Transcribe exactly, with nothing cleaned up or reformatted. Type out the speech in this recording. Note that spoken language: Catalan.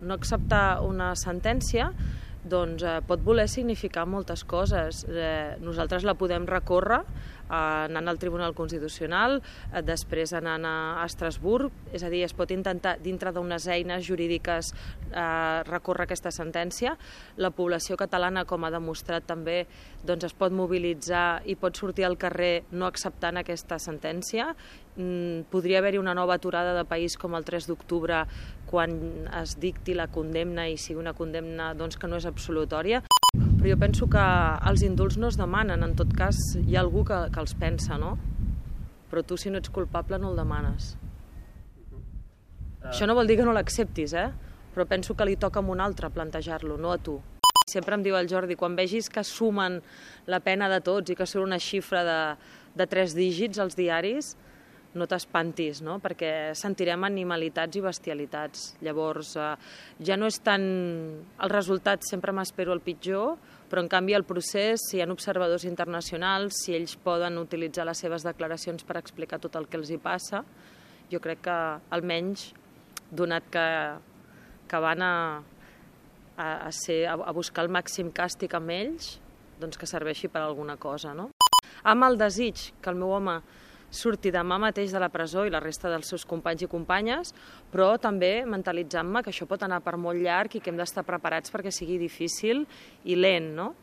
no acceptar una sentència doncs, eh, pot voler significar moltes coses. Eh, nosaltres la podem recórrer eh, anant al Tribunal Constitucional, eh, després anant a Estrasburg, és a dir, es pot intentar, dintre d'unes eines jurídiques, eh, recórrer aquesta sentència. La població catalana, com ha demostrat també, doncs, es pot mobilitzar i pot sortir al carrer no acceptant aquesta sentència. Mm, podria haver-hi una nova aturada de país com el tres d'octubre, quan es dicti la condemna i sigui una condemna doncs, que no és absolutòria. Però jo penso que els indults no es demanen, en tot cas hi ha algú que, que els pensa, no? Però tu, si no ets culpable, no el demanes. Uh... Això no vol dir que no l'acceptis, eh? Però penso que li toca a un altre plantejar-lo, no a tu. Sempre em diu el Jordi, quan vegis que sumen la pena de tots i que surt una xifra de, de tres dígits als diaris, no t'espantis, no? Perquè sentirem animalitats i bestialitats. Llavors, eh, ja no és tant el resultat, sempre m'espero el pitjor, però en canvi el procés, si hi ha observadors internacionals, si ells poden utilitzar les seves declaracions per explicar tot el que els hi passa, jo crec que almenys, donat que, que van a, a, a, ser, a buscar el màxim càstig amb ells, doncs que serveixi per alguna cosa, no? Amb el desig que el meu home surti demà mateix de la presó i la resta dels seus companys i companyes, però també mentalitzant-me que això pot anar per molt llarg i que hem d'estar preparats perquè sigui difícil i lent, no?